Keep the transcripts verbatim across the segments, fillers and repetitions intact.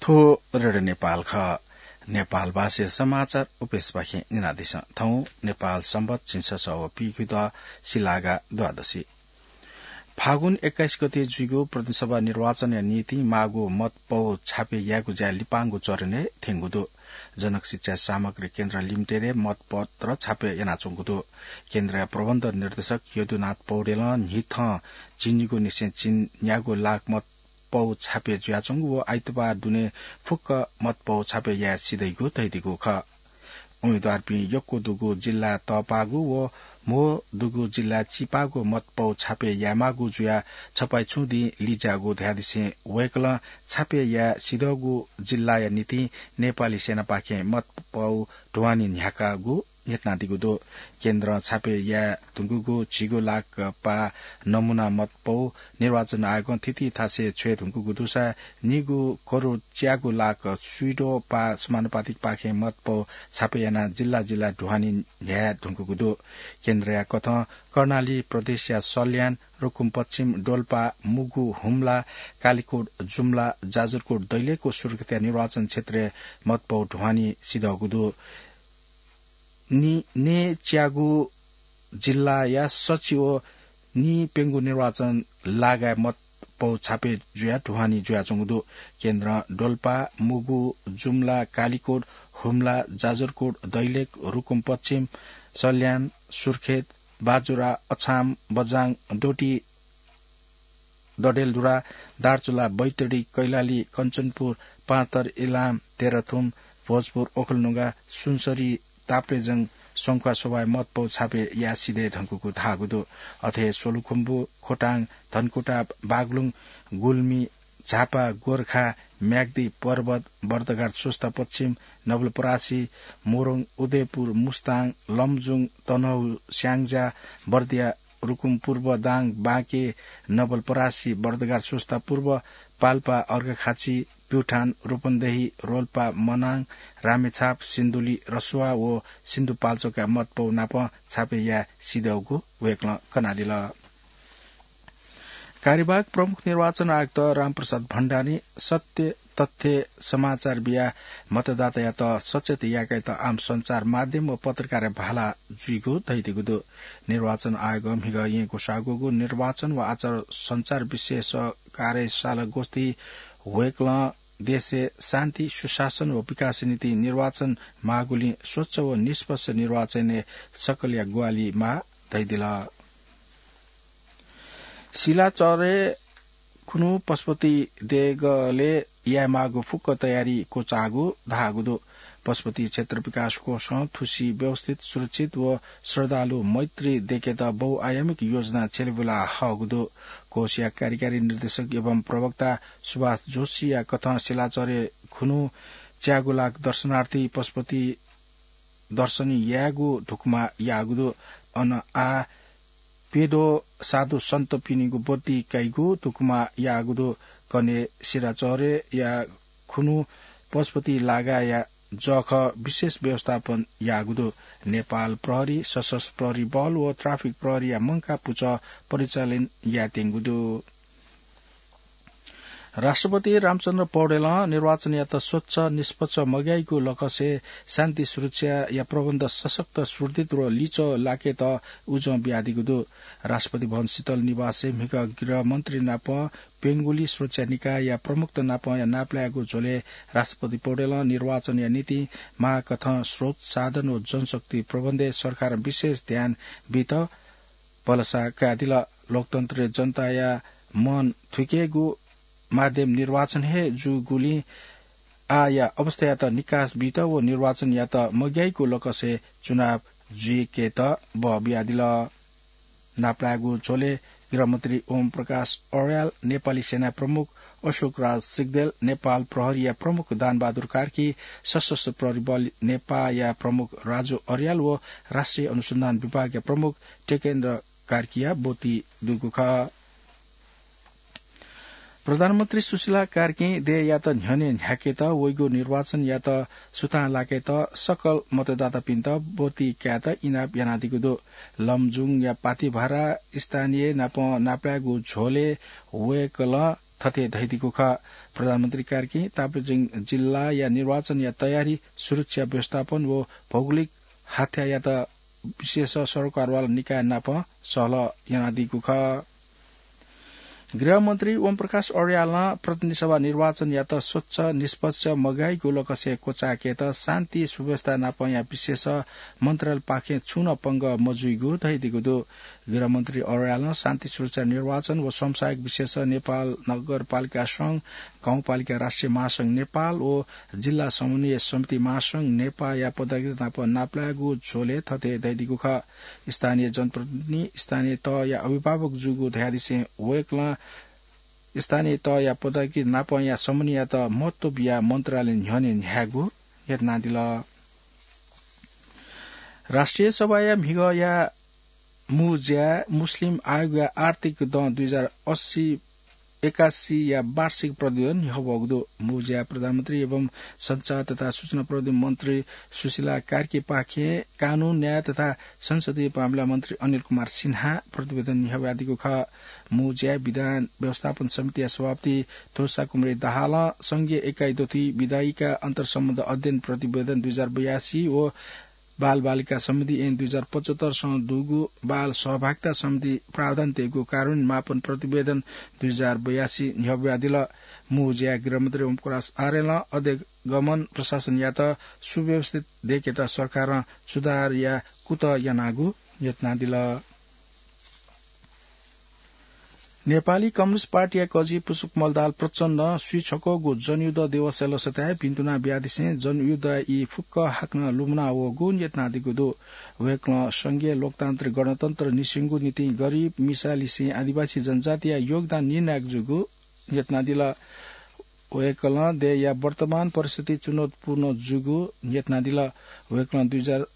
थ्व रेडियो नेपाल खः। नेपाल भाषाया समाचार उपेशपाखें न्यनादिसँ। थौं नेपाल संवत् झिंछसः व पीगु द सिलागा द्वादशी। फागुन एक्काइस गते जुइगु प्रतिनिधि सभा निर्वाचनया निंतिं माःगु मत पौ छापे यायेगु ज्या लिपांगु चरणय् थ्यंगु दु। जनक शिक्षा सामग्री केन्द्र लिमिटेडय् मतपत्र छापे यानाच्वंगु दु। केन्द्रया प्रबन्ध निर्देशक यदुनाथ पौडेलं न्हिथं झिंनिगू निसें झिंन्यागू लाख मत पौ छापे जुयाच्वंगु व आइतबार दुने फुक्क मत पौ छापे याये सिधइगु धइदिगु खः। उम्मेदवारपिं यक्व दुगु जिल्ला तःपाःगु व म्हो दुगु जिल्ला चिपाःगु मत पौ छापे यायेमाःगु जुयाः छपाय् छुं दिं लिज्याःगु धयादिसें वय्कलं छापे याये सिधःगु जिल्लाया निंतिं नेपाली सेनापाखें मत पौ ढुवानी न्ह्याकागु न्ह्यथनादीगु दु। केन्द्रं छापे याये धुंकूगु झिगू लाख पाः नमूना मत पौ निर्वाचन आयोगं थीथी थासय् छ्वये धुंकूगु दुसा निगू करोड च्यागू लाख स्वीद्वः पाः समानुपातिकपाखें मत पौ छापे यानाः जिल्ला जिल्ला ढुवानी न्ह्याये धुंकूगु दु। केन्द्रया कथं कर्णाली प्रदेशया सल्यान, रुकुम पश्चिम, डोल्पा, मुगु, हुम्ला, कालीकोट, जुम्ला, जाजरकोट, दैलेख व सुर्खेतया निर्वाचन क्षेत्रय् मत पौ ढुवानी सिधःगु दु। नि-, नयेच्यागू जिल्लाया सछि व निप्यंगू निर्वाचन लागाय् मत पौ छापे जुयाः ढुवानी जुयाच्वंगु दु। केन्द्रं डोल्पा, मुगु, जुम्ला, कालीकोट, हुम्ला, जाजरकोट, दैलेख, रुकुम पश्चिम, सल्यान, सुर्खेत, बाजुरा, अछाम, बझाङ, डोटी, डडेलधुरा, दार्चुला, बैतडी, कैलाली, कञ्चनपुर, पाँचथर, इलाम, तेह्रथुम, भोजपुर, ओखलढुङ्गा, सुनसरी, ताप्लेजुङ, संखुवासभाय् मत पौ छापे याये सिधये धुंकूगु धाःगु दु। अथे हे सोलुखुम्बु, खोटाङ, धनकुटा, बागलुङ, गुल्मी, झापा, गोरखा, म्याग्दी, पर्वत, बर्दघाट, स्वस्ता पश्चिम, नवलपरासी, मोरङ, उदयपुर, मुस्ताङ, लमजुङ, तनहुँ, स्याङ्जा, बर्दिया, रुकुम पूर्व, दाङ, बाँके, नवलपरासी, बर्दघाट, स्वस्ता पूर्व, पाल्पा, अर्घाखाँची, प्युठान, रूपन्देही, रोल्पा, मनाङ, रामेछाप, सिन्धुली, रसुवा व सिन्धुपाल्चोकया मत पौ नाप छापे याये सिधःगु वय्कलं कनादिल। कार्यवाहक प्रमुख निर्वाचन आयुक्त रामप्रसाद भण्डारीं सत्य तथ्य समाचार बियाः मतदातायात सचेत यायेकेत आम सञ्चार माध्यम व पत्रकारया भाला जुइगु धइदिगु दु। निर्वाचन आयोगं म्हिगः येँ ग्वसाःगु निर्वाचन व आचार सञ्चार विशेष कार्यशाला गोष्ठी वय्कलं देशय् शान्ति, सुशासन व विकासया निंतिं निर्वाचन माःगुलिं स्वच्छ व निष्पक्ष निर्वाचनय् सकलया ग्वाहालि माः धइदिल। सिलाचह्रे खुन्हु पशुपति देगलय् यायेमाःगु फुक्क तयारी क्वचाःगु धाःगु दु। पशुपति क्षेत्र विकास कोषं थुसी व्यवस्थित, सुरक्षित व श्रद्धालु मैत्री देकेत बहुआयामिक योजना छ्यलेबुला हःगु दु। कोषया कार्यकारी निर्देशक एवं प्रवक्ता सुभाष जोशीया कथं सिलाचह्रे खुन्हु च्यागू लाख दर्शनार्थी पशुपति दर्शन यायेगु धुकुमा याःगु दु। अन आः प्यद्वः साधु सन्तपिनिगु ब्वति काइगु धुकुमा याःगु दु। कन्हय् सिलाचह्रेया खुन्हु पशुपति लागाया जःखः विशेष व्यवस्थापन याःगु दु। नेपाल प्रहरी, सशस्त्र प्रहरी बल व ट्राफिक प्रहरीया मंकाः पुचः परिचालन यायेत्यंगु दु। राष्ट्रपति रामचन्द्र पौडेलं निर्वाचनयात स्वच्छ, निष्पक्ष, मग्याइगु लकसय् शान्ति सुरक्षाया प्रबन्ध सशक्त, सुदृढ व लिच्वः लाकेत उजं बियादीगु दु। राष्ट्रपति भवन शीतल निवासय् म्हिगः गृहमन्त्री नाप प्यंगुली सुरक्षा निकायया प्रमुखत नापया नापलायेगु झ्वलय् राष्ट्रपति पौडेलं निर्वाचनया निंतिं माःकथं स्रोत, साधन व जनशक्ति प्रबन्धय् सरकारं विशेष ध्यान बीत भलसा कयादिल। लोकतन्त्रय् जनताया मन थुइकेगु माध्यम निर्वाचन हे जूगुलिं आःया अवस्थायात निकास बीत व निर्वाचनयात मग्याइगु लकसय् चुनाव जुइकेत बः बियादिल। नापलायेगु झ्वलय् गृहमन्त्री ओम प्रकाश अर्याल, नेपाली सेना प्रमुख अशोक राज सिग्देल, नेपाल प्रहरीया प्रमुख दानबहादुर कार्की, सशस्त्र प्रहरी बल नेपाःया प्रमुख राजु अर्याल व राष्ट्रिय अनुसन्धान विभागया प्रमुख टेकेन्द्र कार्कीया ब्वति दुगु खः। प्रधानमन्त्री सुशीला कार्कीं देय्‌यात न्ह्यःने न्ह्याकेत, वइगु निर्वाचनयात सुथां लाकेत सकल मतदातापिन्त ब्वति कायेत इनाप यानादीगु दु। लमजुङया पातिभारा स्थानीय नाप नापलायेगु झ्वलय् वय्‌कलं थथे धयादीगु खः। प्रधानमन्त्री कार्कीं ताप्लेजुङ जिल्लाया निर्वाचनया तयारी, सुरक्षा व्यवस्थापन व भौगोलिक हाथ्यायात विशेष सरोकारवाला निकाय नाप सहलह यानादीगु खः। गृहमन्त्री ओमप्रकाश अर्यालं प्रतिनिधि सभा निर्वाचनयात स्वच्छ, निष्पक्ष, मगाइगु लकसे क्वचायेकेत शान्ति सुव्यवस्था नापया विशेष मन्त्रालयपाखें छुं नं पंगः मजुइगु धयादीगु दु। गृहमन्त्री अर्यालं शान्ति सुरक्षा निर्वाचन व समसायक विशेष नेपाल नगरपालिका संघ, गाउँपालिका राष्ट्रिय महासंघ नेपाल व जिल्ला समन्वय समिति महासंघ नेपाःया पदाधिकारी नाप नापलायेगु झ्वलय् थथे धयादीगु खः। स्थानीय जनप्रतिनिधि, स्थानीय तहया अभिभावक जूगु धयादिसें वय्कलं स्थानीय तहया पदाधिकारी नापया समन्वययात महत्व बियाः मन्त्रालय न्ह्यःने न्ह्यायेगु यत्नादिल। राष्ट्रिय सभाया म्हिगःया मू ज्याय् मुस्लिम आयोगया आर्थिक दँ दुई हजार अस्सी एकासीया वार्षिक प्रतिवेदन न्ह्यः वःगु दु। मू ज्याय् प्रधानमन्त्री एवं सञ्चार तथा सूचना प्रविधि मन्त्री सुशीला कार्कीपाखें कानून, न्याय तथा संसदीय मामिला मन्त्री अनिल कुमार सिन्हां प्रतिवेदन न्ह्यः वयादीगु खः। मू ज्याय् विधान व्यवस्थापन समितिया सभापति तुलसा कुमारी दाहालं संघीय एकाइ दथुइ विधायिका अन्तरसम्बन्ध अध्ययन प्रतिवेदन दुई हजार बयासी व बालबालिका सम्बन्धी ऐन दुई हजार पचहत्तर सँ दुगु बाल सहभागिता सम्बन्धी प्रावधान तयेगु कार्यान्वयन मापन प्रतिवेदन दुई हजार बयासी न्ह्यः वयादिल। मू ज्याय् गृहमन्त्री ओमप्रकाश आर्यलं अध्यगमन प्रशासनयात सुव्यवस्थित दयेकेत सरकारं सुधारया कुतः यानागु यत्नादिल। नेपाली कम्युनिस्ट पार्टीया कजि पुष्पकमल दाहाल प्रचण्डं स्वीछक्वःगु जनयुद्ध दिवसया लसताय् भिन्तुना बियादिसें जनयुद्धया ई फुक्क हाकनं लुमना वःगु न्यतनादीगु दु। वय्कलं संघीय लोकतान्त्रिक गणतन्त्र निसेंगु निंतिं गरिब, मिसा लिसें आदिवासी जनजातिया योगदान निर्णायक जूगु न्यतनादिल। वय्कलं देय्‌या वर्तमान परिस्थिति चुनौतीपूर्ण जूगु न्यतनादिल। वय्कलं दुई हजार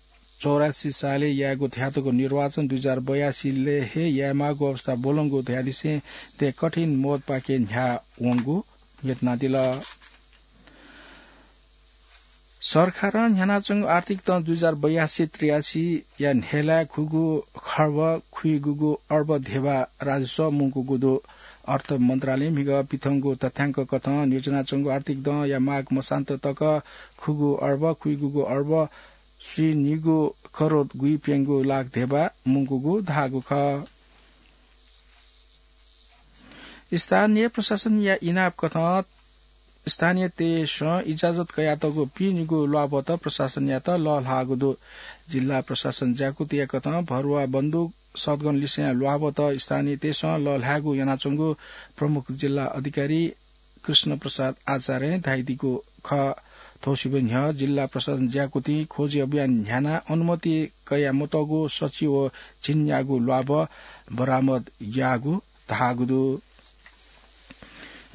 चौरासी सालय् यायेगु न्ह्यातःगु निर्वाचन दुई हजार बयासीलय् हे यायेमाःगु अवस्था ब्वलंगु धयादिसें देय् कठिन मोडपाखे न्ह्यावंगु न्यतनादिल। सरकारं न्ह्यानाच्वंगु आर्थिक दँ दुई हजार बयासी त्रियासीया न्हय्‌लाय् खुगू खर्ब खुइगूगू अर्ब धेबा राजस्व मुंकूगु दु। अर्थ मन्त्रालयं म्हिगः पिथंगु तथ्यांक कथं न्ह्यच्वनाच्वंगु आर्थिक दँया माग मसान्त तक खुगू अर्ब खुइगूगू अर्ब स्वीनिगू करोड गुइप्यंगू लाख धेबा मुंकूगु धाःगु खः। स्थानीय प्रशासनया इनाप कथं स्थानीयतय्‌सं इजाजत कयातःगु पिनिगू ल्वाभत प्रशासनयात लःल्हाःगु दु। जिल्ला प्रशासन ज्याकुथिया कथं भरुवा बन्दुक सदगन लिसें ल्वाभत स्थानीयतय्‌सं लःल्हायेगु यानाच्वंगु प्रमुख जिल्ला अधिकारी कृष्ण प्रसाद आचार्यं धयादीगु खः। थ्व सिबय् न्ह्यः जिल्ला प्रशासन ज्याकुथिं खोजी अभियान न्ह्यानाः अनुमति कयामतःगु सछि व झिंन्यागू ल्वाभ बरामद याःगु धाःगु दु।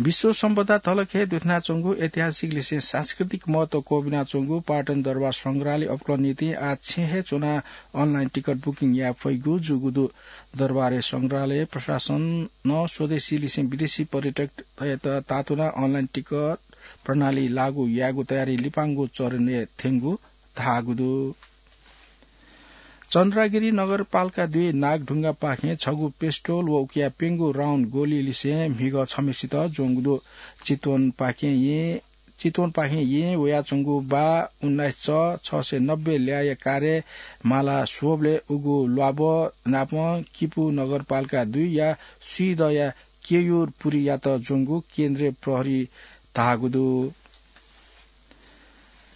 विश्व सम्पदा तलखय् दुथ्यानाच्वंगु ऐतिहासिक लिसें सांस्कृतिक महत्व क्वबिनाच्वंगु पाटन दरबार संग्रहालय अप्वलंनिंतिं आः छेँय् हे च्वनाः online टिकट booking याये फइगु जूगु दु। दरबार संग्रहालय प्रशासनं स्वदेशी लिसें विदेशी पर्यटकतय्‌त तातुनाः online टिकट प्रणाली लागू यायेगु तयारी लिपांगु चरणय् थ्यंगु धाःगु दु। चन्द्रागिरी नगरपालिका दुई नागढुङ्गापाखें छगू pistol व उकिया प्यंगू round गोली लिसें म्हिगः छम्हेसित ज्वंगु दु। चितवनपाखें येँ, चितवनपाखें येँ वयाच्वंगु बा उन्नाइस च छ सय नब्बे ल्याःया कारय् माला स्वःबलय् उगु ल्वाभः नापं किपू नगरपालिका दुईया स्वीदँया केयूर पुरीयात ज्वंगु केन्द्रीय प्रहरी धाःगु दु।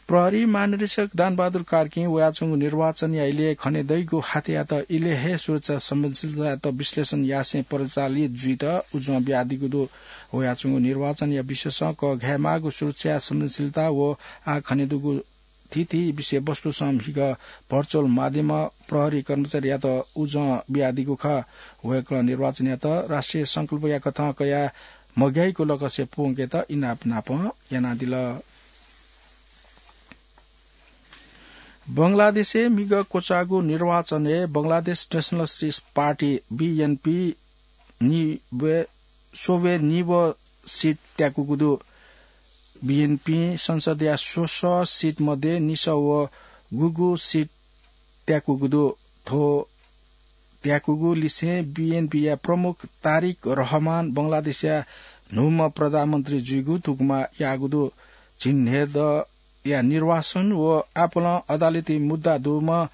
प्रहरी महानिरीक्षक दानबहादुर कार्कीं वयाच्वंगु निर्वाचनया इलय् खनेदइगु हाथ्यायात इलय् हे सुरक्षा संवेदनशीलतायात विश्लेषण यासें परिचालित जुइत उजं बियादीगु दु। वयाच्वंगु निर्वाचनया विषयसं कःघायेमाःगु सुरक्षा संवेदनशीलता व आः खनेदुगु थीथी विषयवस्तुसं म्हिगः virtual माध्यमं प्रहरी कर्मचारीयात उजं बियादीगु खः। वय्कलं निर्वाचनयात राष्ट्रिय संकल्पया कथं कयाः मग्याइगु लकसे प्वंकेत इनाप नापं यानादिल। बंगलादेशय् म्हिगः क्वचाःगु निर्वाचनय् बंगलादेश Nationalist Party, BNP, निब्बे, स्वब्बे निब्बे seat त्याकूगु दु। BNP संसदया स्वसः seat मध्ये निसः व गुगु seat त्याकूगु दु। थ्व त्याकूगु लिसें बीएनपीया प्रमुख तारिक रहमान बंगलादेशया न्हूम्ह प्रधानमन्त्री जुइगु धुकुमा याःगु दु। झिंन्हय्‌दँया निर्वासन व आपालं अदालती मुद्दा दुम्ह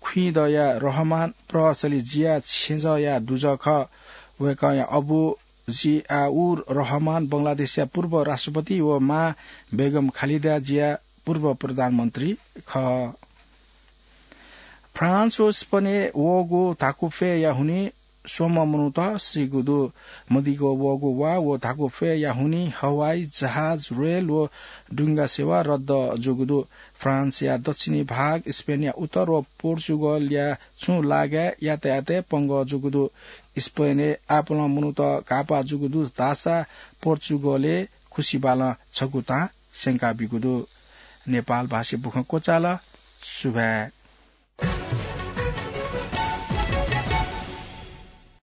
खुइँदँया रहमान प्रभावशाली जिया छेँजःया दुजः खः। वय्‌कःया अबु जियाउर रहमान बंगलादेशया पूर्व राष्ट्रपति व मां बेगम खालिदा जिया पूर्व प्रधानमन्त्री खः। फ्रान्स व स्पेनय् वःगु धाकुफ्वय्‌या हुनिं स्वम्ह मनूत सीगु दु। मदिक्क वःगु वा व धाकुफ्वय्‌या हुनिं हवाई जहाज, रेल व डुंगा सेवा रद्द जूगु दु। फ्रान्सया दक्षिणी भाग, स्पेनया उत्तर व पोर्चुगलया छुं लागाय् यातायातय् पंगः जूगु दु। स्पेनय् आपालं मनूत घाःपाः जूगु दु धाःसा पोर्चुगलय् खुसिबालं छगू तां स्यंका ब्यूगु दु। नेपाल भाषाय् बुखँ क्वचाल। सुभाय्।